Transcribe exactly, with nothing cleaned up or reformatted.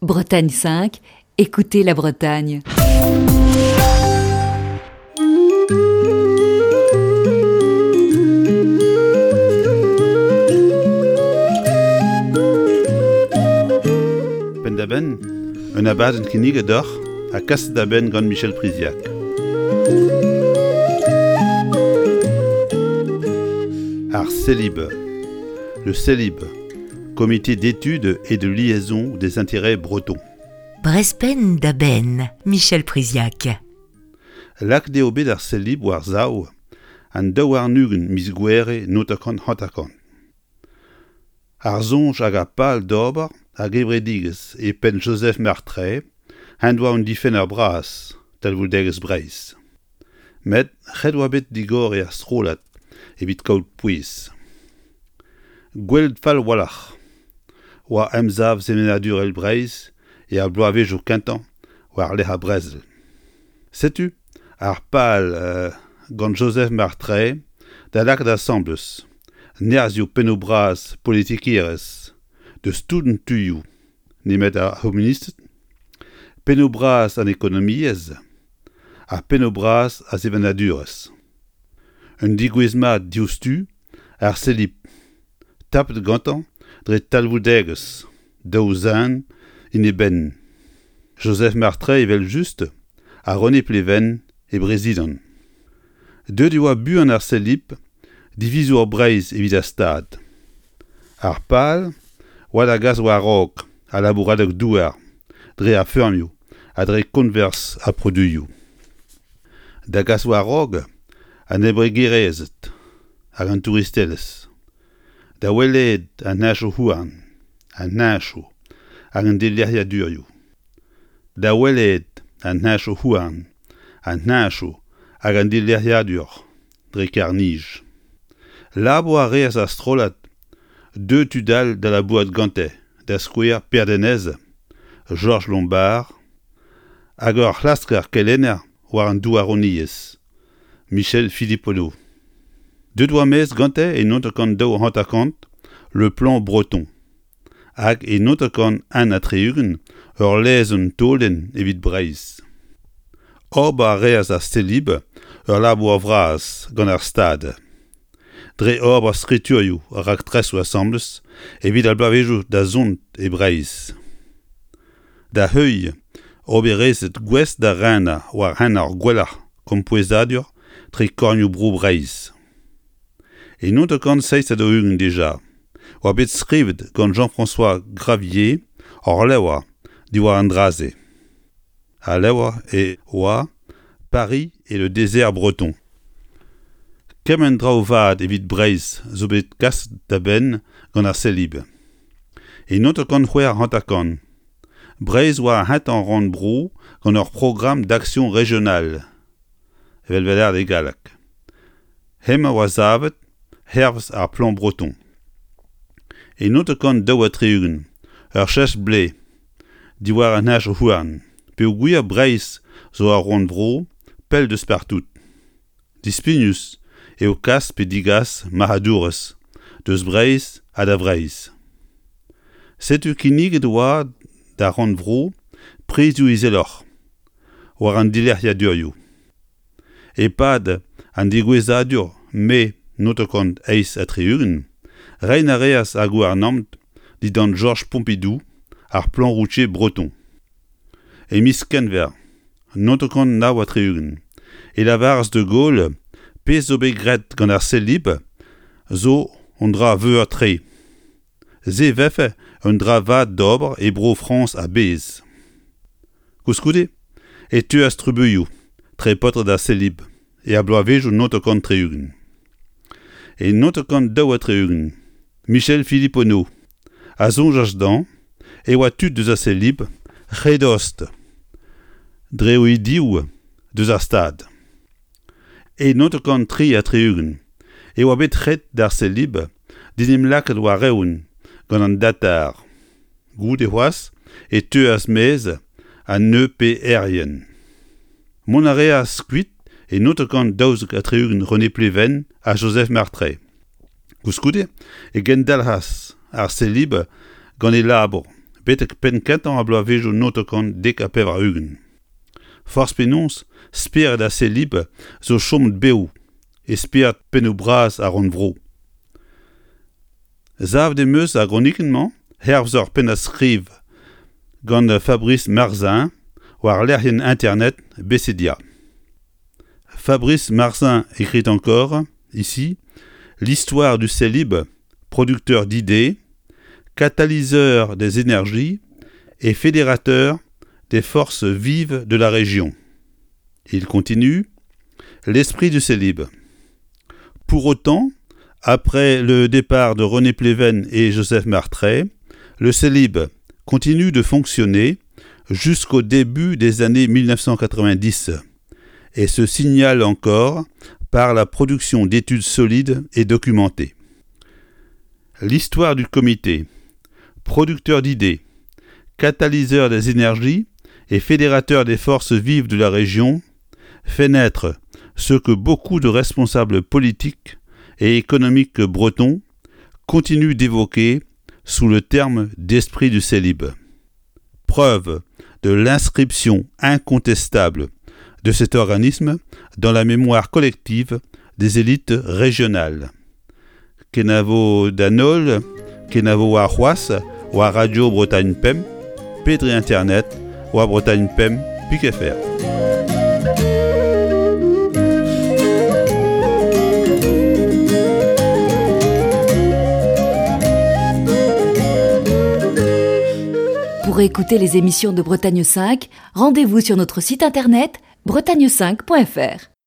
Bretagne cinq, écoutez la Bretagne. Penn-da-benn, un abadenn kinniget deoc'h ha kaset da benn gant Michel Priziac. Ar Celib. Le Celib, comité d'études et de liaison des intérêts bretons. Brezh Penn da Benn, Michel Priziac. Lakaet eo bet ar Celib war-sav an daou warn-ugent miz Gouhere naontek hanter-kant. Ar soñj hag ar pal d'ober ar gevredigezh e penn Joseph Martray en doa un difenner bras talvoudegezh Breizh. Met ret oa bet digoriñ ar strollad evit kaout pouez. Gwelet fall a-walc'h oa emsav sevenadurel Breizh er bloavezhioù kentañ war-lerc'h ar brezel. Setu ar pal gant Joseph Martray da lakaat asambles nerzhioù pennoù bras politikerezh deus tout an tuioù nemet ar c'homunisted, pennoù bras an ekonomiezh ha pennoù bras ar sevenadurezh. Un degouezh mat diouzhtu ar Celib, tapet gantañ dre talvoudegezh daou zen en e benn. Joseph Martray evel-just ha René Pleven e brezidant. Deuet e oa buan ar Celib divizour Breizh evit ar Stad. Ar pal oa da gas war-raok al labouradeg-douar dre ar feurmioù ha dre koñvers ar produioù. Da gas war-raok an embregerezhed hag an touristelezh. Da wellaat an henchoù-houarn, an henchoù hag an dilec'hiadurioù. Da wellaat an henchoù-houarn, an henchoù hag an dilec'hiadur dre karr-nij. Labour a reas ar strollad deuet tud all da labourat gante, da skouer Per Denez, Jorj Lombard hag ur c'hlasker kelenner war an douaroniezh, Michel Philipponneau. Deuet oa maez gante e naontek kant daou hanter-kant Le Plan Breton hag e naontek kant un ha tri-ugent ur lezenn taolenn evit Breizh. Ober a reas ar Celib ur labour vras gant ar Stad. Dre ober skriturioù ha raktresoù asambles evit ar bloavezhioù da zont e Breizh. Da heuilh oberezed gouest da renañ war hent ar gwellañ kempouezadur tre kornioù-bro Breizh. E naontek kant seizh ha daou-ugent dija oa bet skrivet gant Jean-François Gravier ur levr diwar an dra-se. Al levr e oa Paris et le désert breton. Kement traoù vat evit Breizh zo bet kaset da benn gant ar Celib. E naontek kant c'hwec'h hanter-kant, Breizh oa ar c'hentañ rannvro gant ur programme d'action régionale, evel vez lâret e galleg. Hemañ oa savet hervez ar Plan Breton. E naontek kant daou ha tri-ugent, ur cheñch-blez diwar an henchoù-houarn, peogwir Breizh zo ur rannvro pell deus partout. Dispignus eo kas pe digas marc'hadourezh deus Breizh ha da Vreizh. Setu kinniget oa d'ar rannvro prizioù izeloc'h war an dilec'hiadurioù. E-pad an degouezhadur mae naontek kant eizh ha tri-ugent, reiñ a reas ar gouarnamant dindan Georges Pompidou ar Plan routier breton. E miz Kenver naontek kant nav ha tri-ugent e lavaras de Gaulle pezh zo bet graet gant ar Celib zo un dra veur-tre. Se vefe un dra vat d'ober e Bro-Frañs a-bezh. Koulskoude e teuas trubuilhoù tre paotred ar Celib er bloavezhioù naontek kant tri-ugent. E naontek kant daou ha tri-ugent, Michel Philipponneau a soñjas dezhañ e oa tud deus ar Celib re dost dre o ideoù deus ar Stad. E naontek kant tri ha tri-ugent e oa bet ret d'ar Celib d'en em lakaat war-eeun gant an datar. Goude c'hoazh e teuas maez an E P R-ien. Mont a reas kuit e naontek kant daouzek ha tri-ugent René Pleven ha Joseph Martray. Koulskoude e gendalc'has ar Celib gant e labour Betek penn kentañ ar bloavezhioù naontek dek ha pevar-ugent. Forzh penaos, spered ar Celib zo chomet bev e spered pennoù bras ar rannvro. Savet em eus ar gronikenn-mañ hervez ur pennad-skriv gant Fabrice Marzin war lec'hienn internet Bécédia. Fabrice Marzin écrit encore, ici, l'histoire du Celib, producteur d'idées, catalyseur des énergies et fédérateur des forces vives de la région. Il continue, l'esprit du Celib. Pour autant, après le départ de René Pleven et Joseph Martray, le Celib continue de fonctionner jusqu'au début des années mille neuf cent quatre-vingt-dix et se signale encore par la production d'études solides et documentées. L'histoire du comité, producteur d'idées, catalyseur des énergies et fédérateur des forces vives de la région, fait naître ce que beaucoup de responsables politiques et économiques bretons continuent d'évoquer sous le terme d'esprit du Celib. Preuve de l'inscription incontestable de cet organisme dans la mémoire collective des élites régionales. Kenavo Danol, Kenavo Arroas, ou à Radio Bretagne Pemp, Pédri Internet, ou à Bretagne Pemp, Pic F R. Pour écouter les émissions de Bretagne cinq, rendez-vous sur notre site internet bretagne cinq point F R.